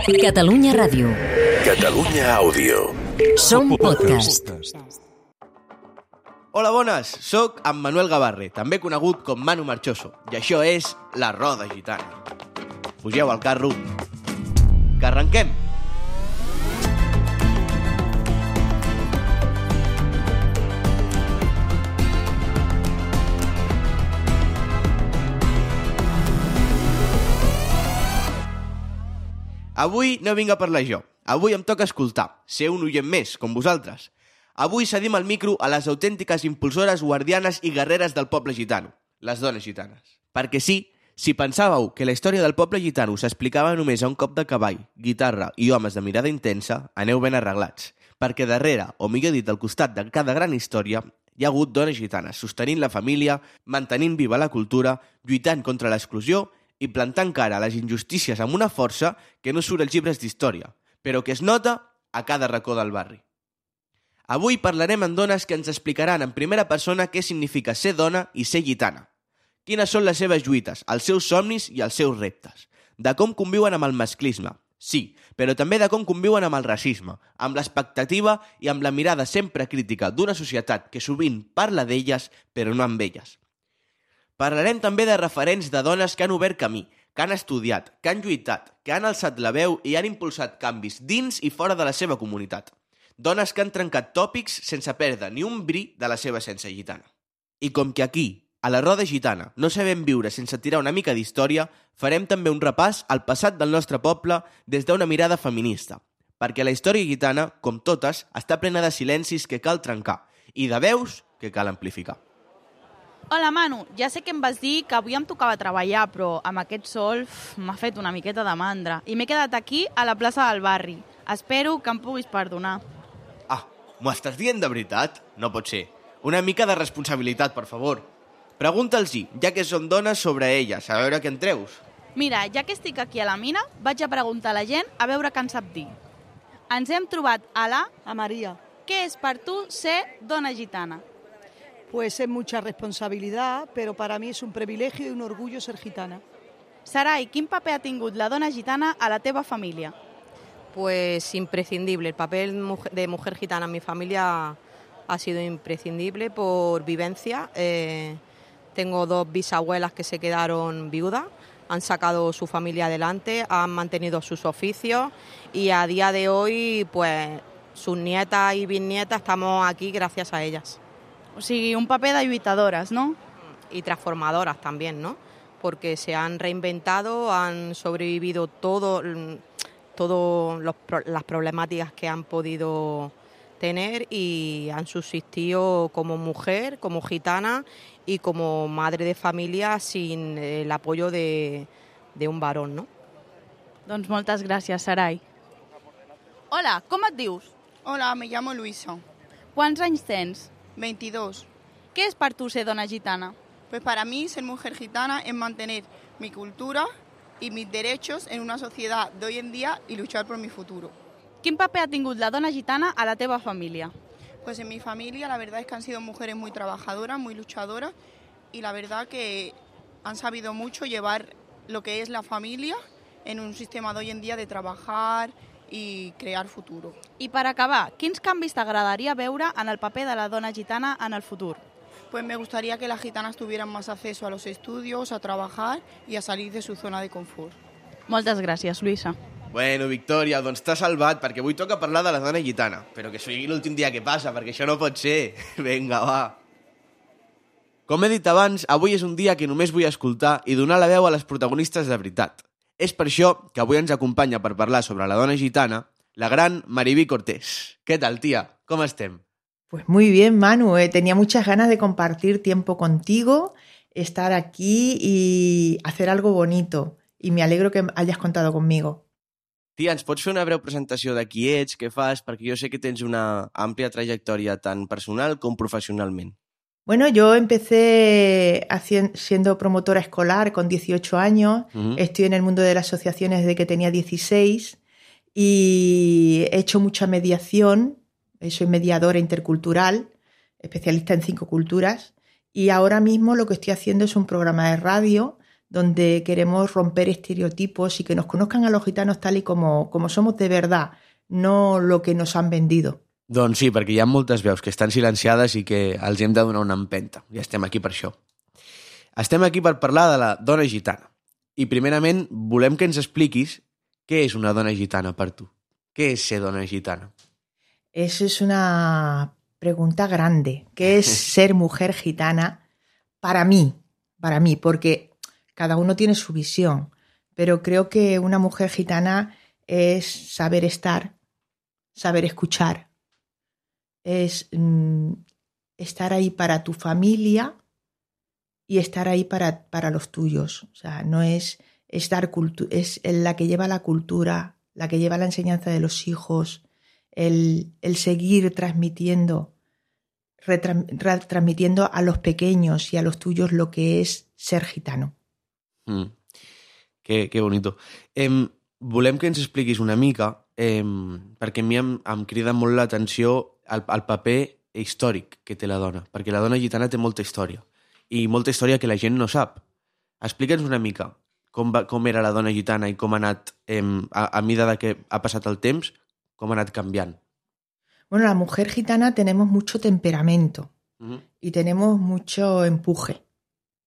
Catalunya Ràdio. Catalunya Àudio. Som podcast. Hola, bones! Soc en Manuel Gavarre, també conegut com Manu Marchoso, i això és La Roda Gitana. Pugeu al carro, que arrenquem! Avui no vinc a parlar jo. Avui em toca escoltar, ser un oient més, com vosaltres. Avui cedim el micro a les autèntiques impulsores, guardianes i guerreres del poble gitano, les dones gitanes. Perquè sí, si pensàveu que la història del poble gitano s'explicava només a un cop de cavall, guitarra i homes de mirada intensa, aneu ben arreglats. Perquè darrere, o millor dit, al costat de cada gran història, hi ha hagut dones gitanes, sostenint la família, mantenint viva la cultura, lluitant contra l'exclusió i plantant cara a les injustícies amb una força que no surt als llibres d'història, però que es nota a cada racó del barri. Avui parlarem amb dones que ens explicaran en primera persona què significa ser dona i ser gitana. Quines són les seves lluites, els seus somnis i els seus reptes. De com conviuen amb el masclisme, sí, però també de com conviuen amb el racisme, amb l'expectativa i amb la mirada sempre crítica d'una societat que sovint parla d'elles, però no amb elles. Parlarem també de referents de dones que han obert camí, que han estudiat, que han lluitat, que han alçat la veu i han impulsat canvis dins i fora de la seva comunitat. Dones que han trencat tòpics sense perdre ni un bri de la seva essència gitana. I com que aquí, a la Roda Gitana, no sabem viure sense tirar una mica d'història, farem també un repàs al passat del nostre poble des d'una mirada feminista. Perquè la història gitana, com totes, està plena de silencis que cal trencar i de veus que cal amplificar. Hola, Manu. Ja sé que em vas dir que avui em tocava treballar, però amb aquest sol m'ha fet una miqueta de mandra i m'he quedat aquí a la plaça del barri. Espero que em puguis perdonar. Ah, m'ho estàs dient de veritat? No pot ser. Una mica de responsabilitat, per favor. Pregunta'ls-hi, ja que són dones, sobre elles, a veure què en treus. Mira, ja que estic aquí a la mina, vaig a preguntar a la gent a veure què en sap dir. Ens hem trobat a María. Què és per tu ser dona gitana? Pues es mucha responsabilidad, pero para mí es un privilegio y un orgullo ser gitana. Sarai, quin paper ha tingut la dona gitana a la teva família? Pues imprescindible. El papel de mujer gitana en mi familia ha sido imprescindible por vivencia. Tengo 2 bisabuelas que se quedaron viudas, han sacado su familia adelante, han mantenido sus oficios y a día de hoy, pues sus nietas y bisnietas estamos aquí gracias a ellas. O sigui, un paper de lluitadores, ¿no? Y transformadoras también, ¿no? Porque se han reinventado, han sobrevivido todas las problemáticas que han podido tener y han subsistido como mujer, como gitana y como madre de familia sin el apoyo de un varón, ¿no? Doncs moltes gràcies, Sarai. Hola, com et dius? Hola, me llamo Luisa. Quants anys tens? 22. Què és per tu ser dona gitana? Pues para mí ser mujer gitana es mantener mi cultura y mis derechos en una sociedad de hoy en día y luchar por mi futuro. Quin paper ha tingut la dona gitana a la teva família? Pues en mi familia la verdad es que han sido mujeres muy trabajadoras, muy luchadoras y la verdad que han sabido mucho llevar lo que es la familia en un sistema de hoy en día de trabajar i crear futuro. I per acabar, quins canvis t'agradaria veure en el paper de la dona gitana en el futur? Pues me gustaría que las gitanas tuvieran más acceso a los estudios, a trabajar y a salir de su zona de confort. Moltes gràcies, Luisa. Bueno, Victòria, doncs t'has salvat, perquè avui toca parlar de la dona gitana. Però que sigui l'últim dia que passa, perquè això no pot ser. Vinga, va. Com he dit abans, avui és un dia que només vull escoltar i donar la veu a les protagonistes de veritat. És per això que avui ens acompanya per parlar sobre la dona gitana la gran Maribí Cortés. Què tal, tia? Com estem? Pues muy bien, Manu. Tenía muchas ganas de compartir tiempo contigo, estar aquí y hacer algo bonito. Y me alegro que hayas contado conmigo. Tia, ens pots fer una breu presentació de qui ets, què fas? Perquè jo sé que tens una àmplia trajectòria tant personal com professionalment. Bueno, yo empecé siendo promotora escolar con 18 años, Estoy en el mundo de las asociaciones desde que tenía 16 y he hecho mucha mediación, soy mediadora intercultural, especialista en 5 culturas y ahora mismo lo que estoy haciendo es un programa de radio donde queremos romper estereotipos y que nos conozcan a los gitanos tal y como somos de verdad, no lo que nos han vendido. Doncs sí, perquè hi ha moltes veus que estan silenciades i que els hem de donar una empenta. I estem aquí per això. Estem aquí per parlar de la dona gitana. I primerament volem que ens expliquis què és una dona gitana per tu. ¿Qué es ser dona gitana? Eso es una pregunta grande. ¿Qué es ser mujer gitana para mí? Para mí, porque cada uno tiene su visión. Pero creo que una mujer gitana es saber estar, saber escuchar, es estar ahí para tu familia y estar ahí para los tuyos. O sea, no es dar es la que lleva la cultura, la que lleva la enseñanza de los hijos, el seguir transmitiendo a los pequeños y a los tuyos lo que es ser gitano. Que bonito. Volem que ens expliquis una mica, perquè a mi em crida molt l'atenció el paper històric que té la dona, perquè la dona gitana té molta història, i molta història que la gent no sap. Explica'ns una mica com era la dona gitana i com ha anat, a mida de que ha passat el temps, com ha anat canviant. Bueno, la mujer gitana tenemos mucho temperamento y tenemos mucho empuje.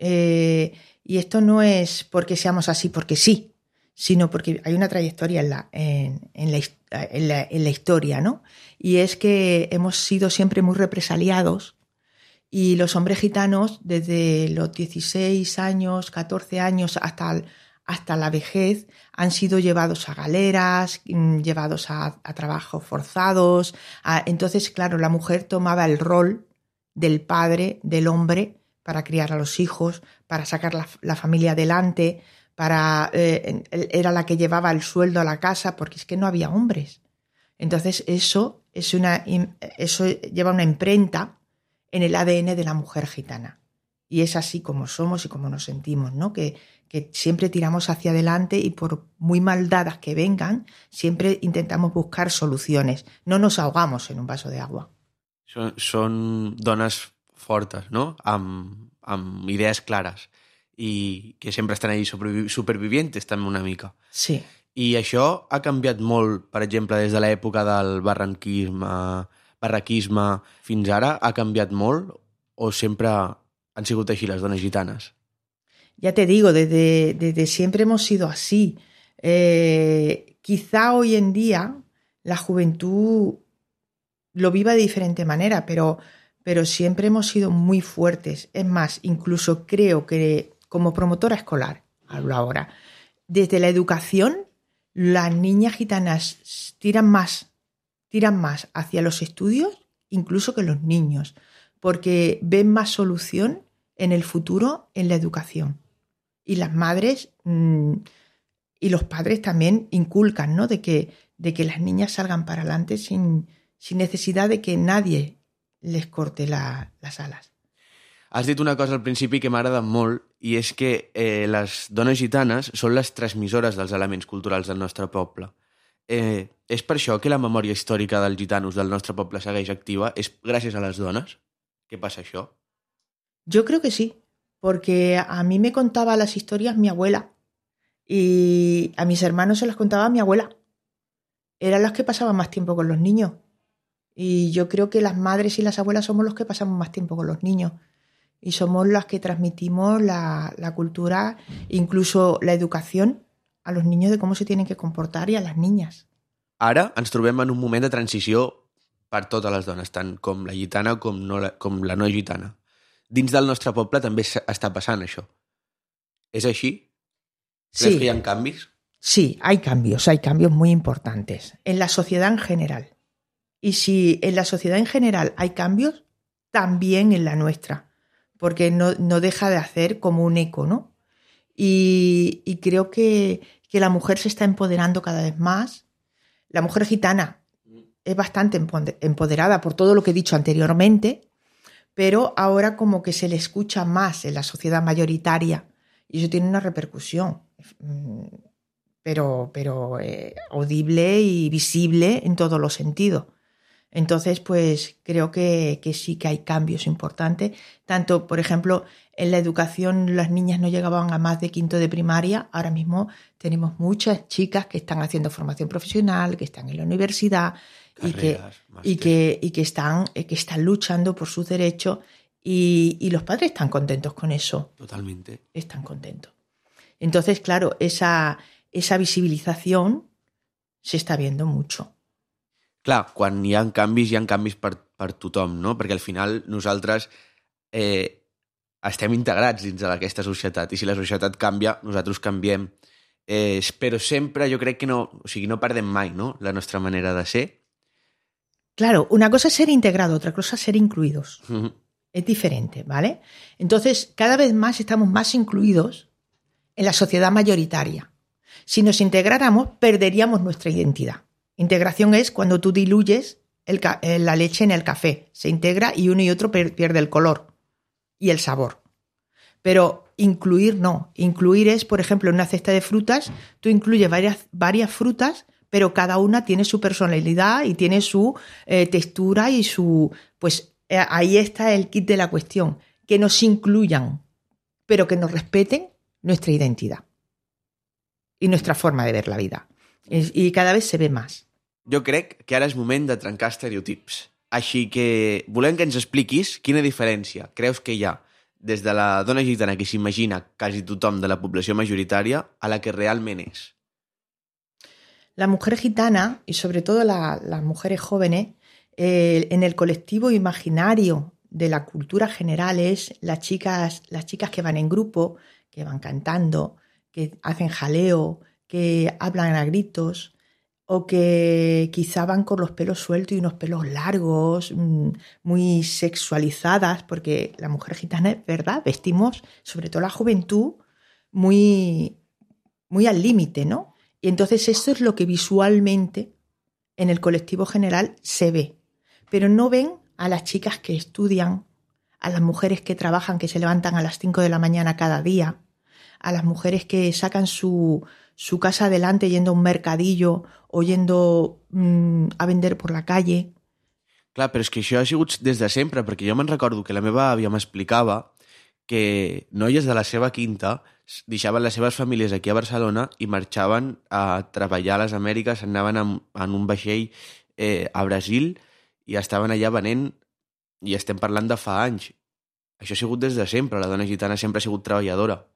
Y esto no es porque seamos así porque sí, sino porque hay una trayectoria en la historia, ¿no? Y es que hemos sido siempre muy represaliados y los hombres gitanos desde los 16 años, 14 años hasta la vejez han sido llevados a galeras, llevados a trabajos forzados. Entonces, claro, la mujer tomaba el rol del padre, del hombre, para criar a los hijos, para sacar la familia adelante, era la que llevaba el sueldo a la casa, porque es que no había hombres. Entonces eso lleva una imprenta en el ADN de la mujer gitana. Y es así como somos y como nos sentimos, ¿no? Que siempre tiramos hacia adelante y por muy mal dadas que vengan, siempre intentamos buscar soluciones. No nos ahogamos en un vaso de agua. Són dones fortes, no? Amb idees clares i que sempre estan ahí supervivientes també una mica. Sí. I això ha canviat molt, per exemple, des de l'època del barraquisme fins ara, ha canviat molt o sempre han sigut així les dones gitanes? Ya te digo, desde siempre hemos sido así. Quizá hoy en día la juventud lo viva de diferente manera, pero siempre hemos sido muy fuertes. Es más, incluso creo que como promotora escolar, hablo ahora, desde la educación, las niñas gitanas tiran más hacia los estudios incluso que los niños, porque ven más solución en el futuro en la educación. Y las madres y los padres también inculcan, ¿no? de que las niñas salgan para adelante sin necesidad de que nadie les corte las alas. Has dit una cosa al principi que m'agrada molt i és que les dones gitanes són les transmissores dels elements culturals del nostre poble. És per això que la memòria històrica dels gitanos del nostre poble segueix activa? És gràcies a les dones? Què passa això? Yo creo que sí, porque a mí me contaba las historias mi abuela y a mis hermanos se las contaba mi abuela. Eran las que pasaban más tiempo con los niños. Y yo creo que las madres y las abuelas somos los que pasamos más tiempo con los niños. Y somos las que transmitimos la cultura, incluso la educación a los niños de cómo se tienen que comportar y a las niñas. Ara ens trobem en un moment de transició per totes les dones, tant com la gitana com la no gitana. Dins del nostre poble també està passant això. ¿Es així? Sí. ¿Crees que hi ha canvis? Sí, hay cambios muy importantes en la sociedad en general. Y si en la sociedad en general hay cambios, también en la nuestra, porque no deja de hacer como un eco, ¿no? Y creo que la mujer se está empoderando cada vez más. La mujer gitana es bastante empoderada por todo lo que he dicho anteriormente, pero ahora como que se le escucha más en la sociedad mayoritaria y eso tiene una repercusión, pero audible y visible en todos los sentidos. Entonces, pues creo que sí que hay cambios importantes. Tanto, por ejemplo, en la educación las niñas no llegaban a más de quinto de primaria. Ahora mismo tenemos muchas chicas que están haciendo formación profesional, que están en la universidad Carreras, y que están luchando por sus derechos y los padres están contentos con eso. Totalmente. Están contentos. Entonces, claro, esa visibilización se està viendo mucho. Clar, quan hi ha canvis per tothom, no? Perquè al final nosaltres estem integrats dins d'aquesta societat i si la societat canvia, nosaltres canviem. Però sempre jo crec que no perdem mai, no? La nostra manera de ser. Claro, una cosa es ser integrado, otra cosa es ser incluidos. Uh-huh. Es diferente, ¿vale? Entonces, cada vez más estamos más incluidos en la sociedad mayoritaria. Si nos integráramos, perderíamos nuestra identidad. Integración es cuando tú diluyes la leche en el café. Se integra y uno y otro pierde el color y el sabor. Pero incluir no. Incluir es, por ejemplo, en una cesta de frutas, tú incluyes varias frutas, pero cada una tiene su personalidad y tiene su textura y su... Pues ahí está el kit de la cuestión. Que nos incluyan, pero que nos respeten nuestra identidad y nuestra forma de ver la vida. I cada vez se ve més. Jo crec que ara és moment de trencar estereotips. Així que volem que ens expliquis quina diferència creus que hi ha des de la dona gitana que s'imagina quasi tothom de la població majoritària a la que realment és. La mujer gitana, y sobre todo las mujeres jóvenes, en el colectivo imaginario de la cultura general es las chicas que van en grupo, que van cantando, que hacen jaleo, que hablan a gritos o que quizá van con los pelos sueltos y unos pelos largos, muy sexualizadas, porque la mujer gitana es verdad, vestimos, sobre todo la juventud, muy, muy al límite, ¿no? Y entonces esto es lo que visualmente en el colectivo general se ve. Pero no ven a las chicas que estudian, a las mujeres que trabajan, que se levantan a las 5 de la mañana cada día, a las mujeres que sacan su casa adelante yendo a un mercadillo o yendo a vender por la calle. Clar, però és que això ha sigut des de sempre, perquè jo me'n recordo que la meva àvia m'explicava que noies de la seva quinta deixaven les seves famílies aquí a Barcelona i marxaven a treballar a les Amèriques, anaven en un vaixell a Brasil i estaven allà venent, i estem parlant de fa anys. Això ha sigut des de sempre, la dona gitana sempre ha sigut treballadora.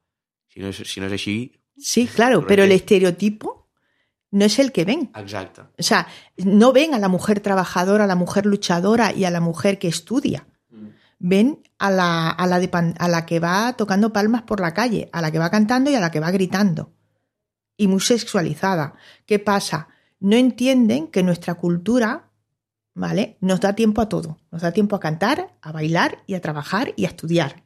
Si no es así... Sí, claro, pero el estereotipo no es el que ven. Exacto. O sea, no ven a la mujer trabajadora, a la mujer luchadora y a la mujer que estudia. Ven a la que va tocando palmas por la calle, a la que va cantando y a la que va gritando. Y muy sexualizada. ¿Qué pasa? No entienden que nuestra cultura, ¿vale?, nos da tiempo a todo. Nos da tiempo a cantar, a bailar y a trabajar y a estudiar.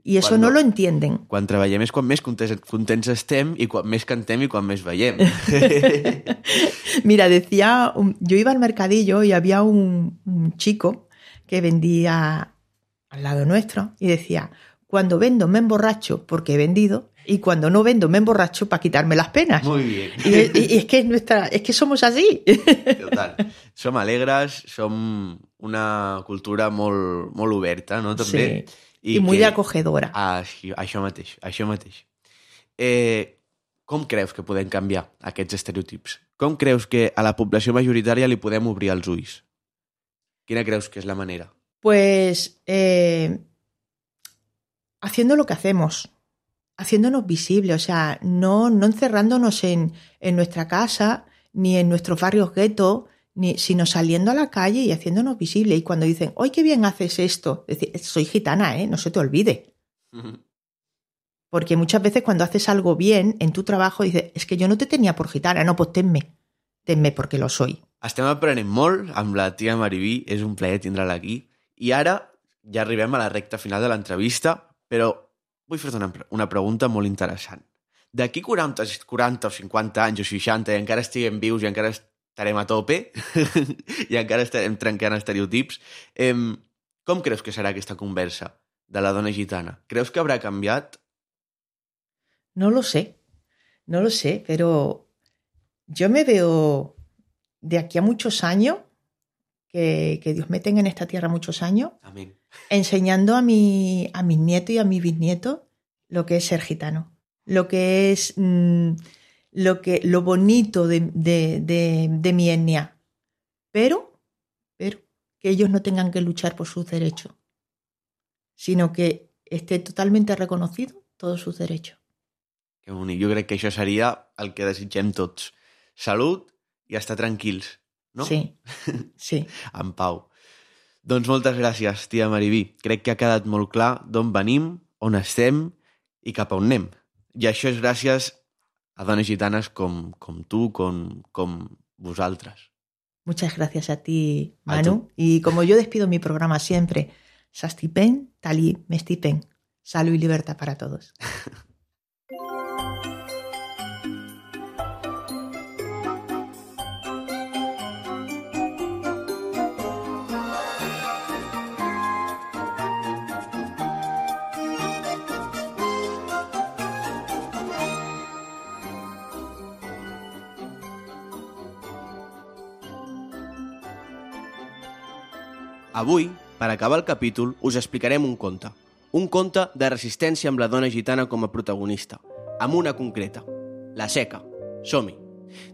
Y eso no lo entienden. Quan treballem és quan més contents estem i quan més cantem i quan més veiem. Mira, yo iba al mercadillo y había un chico que vendía al lado nuestro y decía, cuando vendo me emborracho porque he vendido y cuando no vendo me emborracho para quitarme las penas. Muy bien. Y es que somos así. Total. Som alegres, som una cultura molt, molt oberta, no? També. Sí. I molt acogedora. Això mateix. Com creus que podem canviar aquests estereotips? Com creus que a la població majoritària li podem obrir els ulls? Quina creus que és la manera? Pues haciendo lo que hacemos, haciéndonos visibles, o sea, no encerrándonos en nuestra casa ni en nuestros barrios guetos, sino saliendo a la calle y haciéndonos visibles. Y cuando dicen, ¡ay, qué bien haces esto! Decir, soy gitana, no se te olvide. Uh-huh. Porque muchas veces cuando haces algo bien en tu trabajo dices, es que yo no te tenía por gitana, no, pues tenme porque lo soy. Estem aprenent molt amb la tia Mariví, és un plaer tindre-la aquí. I ara ja arribem a la recta final de l'entrevista, però vull fer-te una pregunta molt interessant. D'aquí 40 o 50 anys o 60 i encara estiguem vius i encara estarem a tope i encara estarem trencant estereotips. Com creus que serà aquesta conversa de la dona gitana? Creus que habrá canviat? No lo sé, pero yo me veo de aquí a muchos años que Dios me tenga en esta tierra muchos años, Amén. enseñando a mis nietos y a mis bisnietos lo que es ser gitano, lo que es lo bonito de mi etnia, pero que ellos no tengan que luchar por sus derechos, sino que esté totalmente reconocido todos sus derechos. Que bonic. Jo crec que això seria el que desitgem tots. Salut i estar tranquils, no? Sí, sí. En pau. Doncs moltes gràcies, tia Mariví. Crec que ha quedat molt clar d'on venim, on estem i cap a on anem. I això és gràcies a dones gitanes com tu, com vosaltres. Muchas gracias a ti, Manu. Y como yo despido mi programa siempre, Sastipen, Tali, Mestipen. Salud y libertad para todos. Avui, per acabar el capítol, us explicarem un conte. Un conte de resistència amb la dona gitana com a protagonista, amb una concreta, la seca. Som-hi!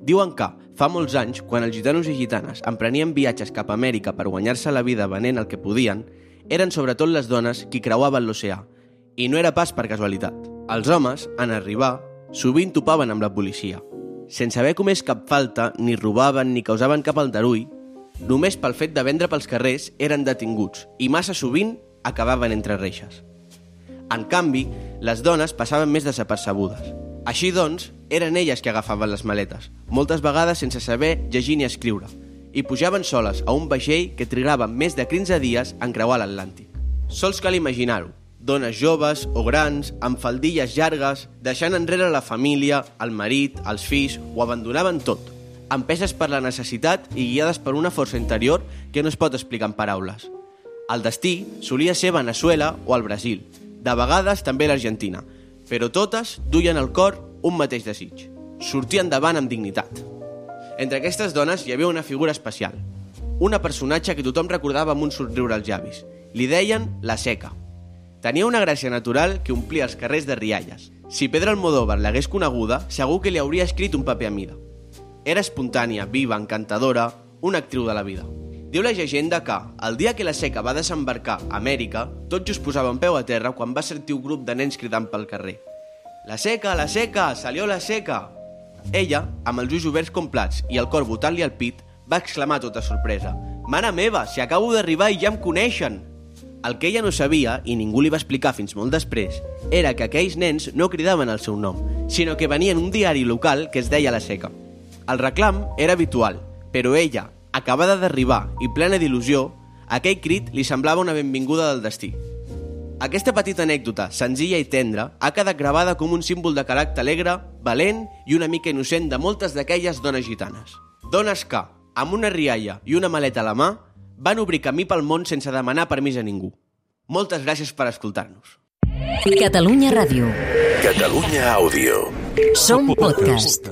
Diuen que, fa molts anys, quan els gitanos i gitanes emprenien viatges cap a Amèrica per guanyar-se la vida venent el que podien, eren sobretot les dones qui creuaven l'oceà, i no era pas per casualitat. Els homes, en arribar, sovint topaven amb la policia. Sense haver comès cap falta, ni robaven ni causaven cap aldarull, només pel fet de vendre pels carrers eren detinguts i massa sovint acabaven entre reixes. En canvi, les dones passaven més desapercebudes. Així doncs, eren elles que agafaven les maletes, moltes vegades sense saber llegir ni escriure, i pujaven soles a un vaixell que trigava més de 15 dies en creuar l'Atlàntic. Sols cal imaginar-ho, dones joves o grans, amb faldilles llargues, deixant enrere la família, el marit, els fills, ho abandonaven tot, empeses per la necessitat i guiades per una força interior que no es pot explicar en paraules. El destí solia ser Veneçuela o el Brasil, de vegades també l'Argentina, però totes duien al cor un mateix desig, sortir endavant amb dignitat. Entre aquestes dones hi havia una figura especial, una personatge que tothom recordava amb un somriure als llavis. Li deien la Seca. Tenia una gràcia natural que omplia els carrers de rialles. Si Pedro Almodóvar l'hagués coneguda, segur que li hauria escrit un paper a mida. Era espontània, viva, encantadora, una actriu de la vida. Diu la llegenda que, el dia que la Seca va desembarcar a Amèrica, tot just posava un peu a terra quan va sentir un grup de nens cridant pel carrer. La Seca, salió la Seca! Ella, amb els ulls oberts com plats i el cor botant-li al pit, va exclamar tota sorpresa. Mare meva, si acabo d'arribar i ja em coneixen! El que ella no sabia, i ningú li va explicar fins molt després, era que aquells nens no cridaven el seu nom, sinó que venien un diari local que es deia La Seca. El reclam era habitual, però ella, acabada d'arribar i plena d'il·lusió, aquell crit li semblava una benvinguda del destí. Aquesta petita anècdota, senzilla i tendra, ha quedat gravada com un símbol de caràcter alegre, valent i una mica innocent de moltes d'aquelles dones gitanes. Dones que, amb una rialla i una maleta a la mà, van obrir camí pel món sense demanar permís a ningú. Moltes gràcies per escoltar-nos. Catalunya Ràdio. Catalunya Àudio. Som podcast.